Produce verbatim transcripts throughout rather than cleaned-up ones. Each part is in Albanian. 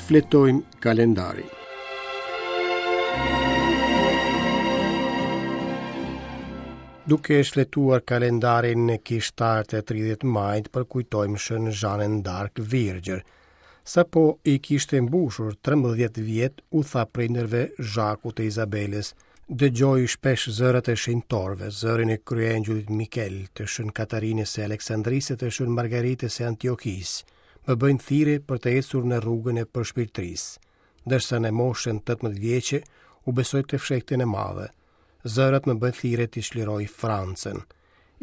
Shfletojmë kalendarin. Duke shfletuar kalendarin kishtar të tridhjetë majit, përkujtojmë Shën Zhanën d'Ark Virgjër. Sapo i kishte mbushur trembëdhjetë vjet, u tha prindërve Zhakut e Izabelës: Dëgjoj shpesh zërat e shenjtorëve, zërin e kryeangjullit Mikel, të Shën Katarinës së Aleksandrisë e të Shën Margaritës së Antiokisë. Më bëjnë thirrje për të ecur në rrugën e përshpirtërisë. Ndërsa në moshën tetëmbëdhjetë vjeçe u besoj të fshehtën e madhe. Zërat më bëjnë thirrje të çliroj Francën.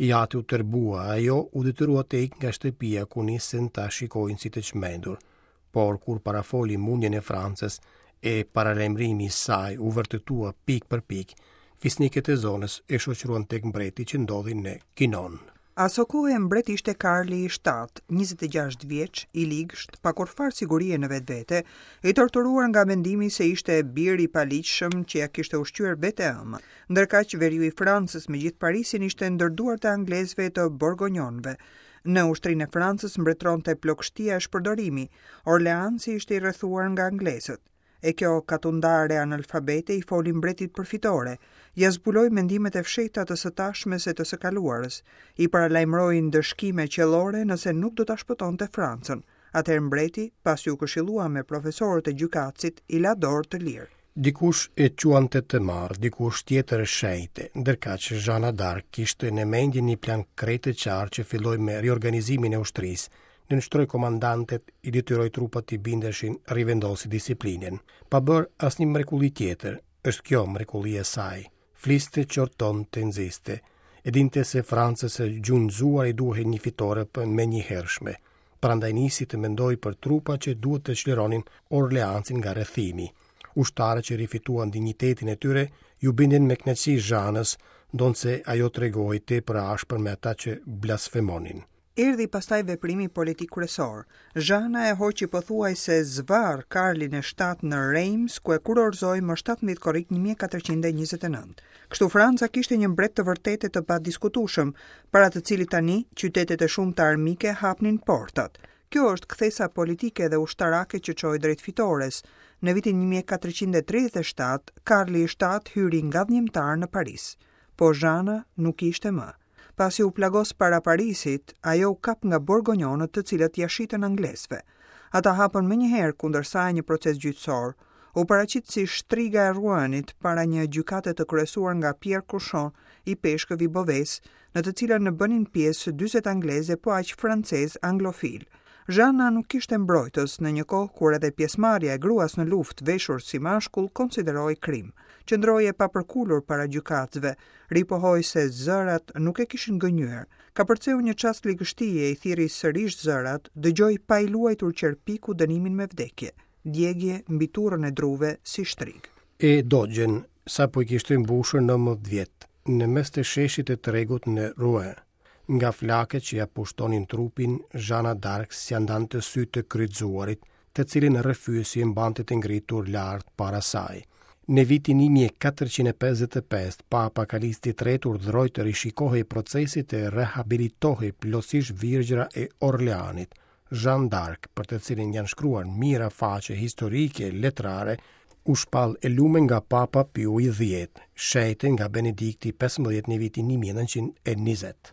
I ati u tërbua, ajo u detyrua të ikë nga shtëpia ku nisën ta shikojnë si të çmendur. Por kur parafoli mundjen e Francës e paralajmërimi i saj u vërtetua pikë për pikë, fisnikët e zonës e shoqëruan tek mbreti që ndodhi në Kinon. Asokohe mbret ishte Karli i shtatë, njëzet e gjashtë vjeç, i ligsht, pa kurrfarë sigurie në vetvete, i torturuar nga mendimi se ishte bir i paligjshëm që ja kishte ushqyer vetë e ëma. Ndërkaq veriu i Francës me gjithë Parisin ishte ndër duart e anglezëve të Borgonjonëve. Në ushtrinë e Francës mbretëronte plogështia e shpërdorimi. Orleansi ishte i rrethuar nga anglezët. E kjo katundare analfabete i foli mbretit për fitore, ja zbuloi mendimet e fshehta të së tashmes e të së kaluarës, i paralajmëroi ndëshkime qellore nëse nuk do ta shpëtonte Francën. Atëherë mbreti, pasi u këshillua me profesorët e gjykatësit, i la dorë të lirë. Dikush e quante të marrë, dikush tjetër e shenjte, ndërkaq Zhana d'Arc kishte në mendje një plan krejt të qartë që filloi me riorganizimin e ushtrisë, nënshtroi komandantet, i detyroi trupat t'i bindeshin, rivendosi disiplinën. Pa bërë asnjë mrekulli tjetër, është kjo mrekullia e saj. Fliste, qortonte, nxiste. E dinte se Francës së gjunjëzuar i duhej një fitore për menjëhershme. Prandaj nisi të mendojë për trupa që duhet të çlironin Orleansin nga rrethimi. Ushtarët që rifituan dinjitetin e tyre ju bindin me kënaqësi Zhanës, ndonëse ajo tregohej tepër ashpër me ata që blasfemonin. Erdhi pastaj veprimi politik kryesor. Zhana e hoqi pothuajse zvarr Karlin e shtatë në Reims, ku e kurorëzoi më shtatëmbëdhjetë korrik një mijë e katërqind e njëzet e nëntë. Kështu Franca kishte një mbret të vërtetë të padiskutueshëm, para të cilit tani qytetet e shumta armike hapnin portat. Kjo është kthesa politike dhe ushtarake që çoi drejt fitores. Në vitin një mijë e katërqind e tridhjetë e shtatë, Karli i shtatë hyri ngadhnjimtar në Paris. Po Zhana nuk ishte më. Pasi u plagos para Parisit, ajo u kap nga borgonjonët të cilët ja shitën anglezëve. Ata hapën menjëherë kundër saj një proces gjyqësor. U paraqit si shtriga e Rouenit para një gjykate të kryesuar nga Pierre Cauchon, i peshkëv i Beauvais, në të cilën bënin pjesë dyzet angleze po aq francez anglofil. Zhana nuk kishte mbrojtës në një kohë kur edhe pjesëmarrja e gruas në luftë veshur si mashkull konsiderohej krim. Qëndroi e papërkulur para gjykatësve, ripohoi se zërat nuk e kishin gënjur. Kapërceu një çast ligështie, i thirri sërish zërat, dëgjoi pa i luajtur qerpiku dënimin me vdekje, djegje mbi turrën e druve si shtrig. E dogjën, sapo i kishte mbushur nëntëmbëdhjetë vjet, në mes të sheshit të tregut në Rouen. Nga flakët që ja pushtonin trupin, Zhana d'Arc s'ja ndante sy të kryqëzuarit, të cilin rrëfyesi e mbante të ngritur lart para saj. Në vitin një mijë e katërqind e pesëdhjetë e pesë, Papa Kalisti i tretë urdhëroi të rishikohej procesi të rehabilitohej plotësisht Virgjra e Orleanit, Jeanne d'Arc, për të cilin janë shkruar mijëra faqe historike letrare, u shpall e lume nga Papa Piu i dhjetë, shenjte nga Benedikti pesëmbëdhjetë në vitin një mijë e nëntëqind e njëzet.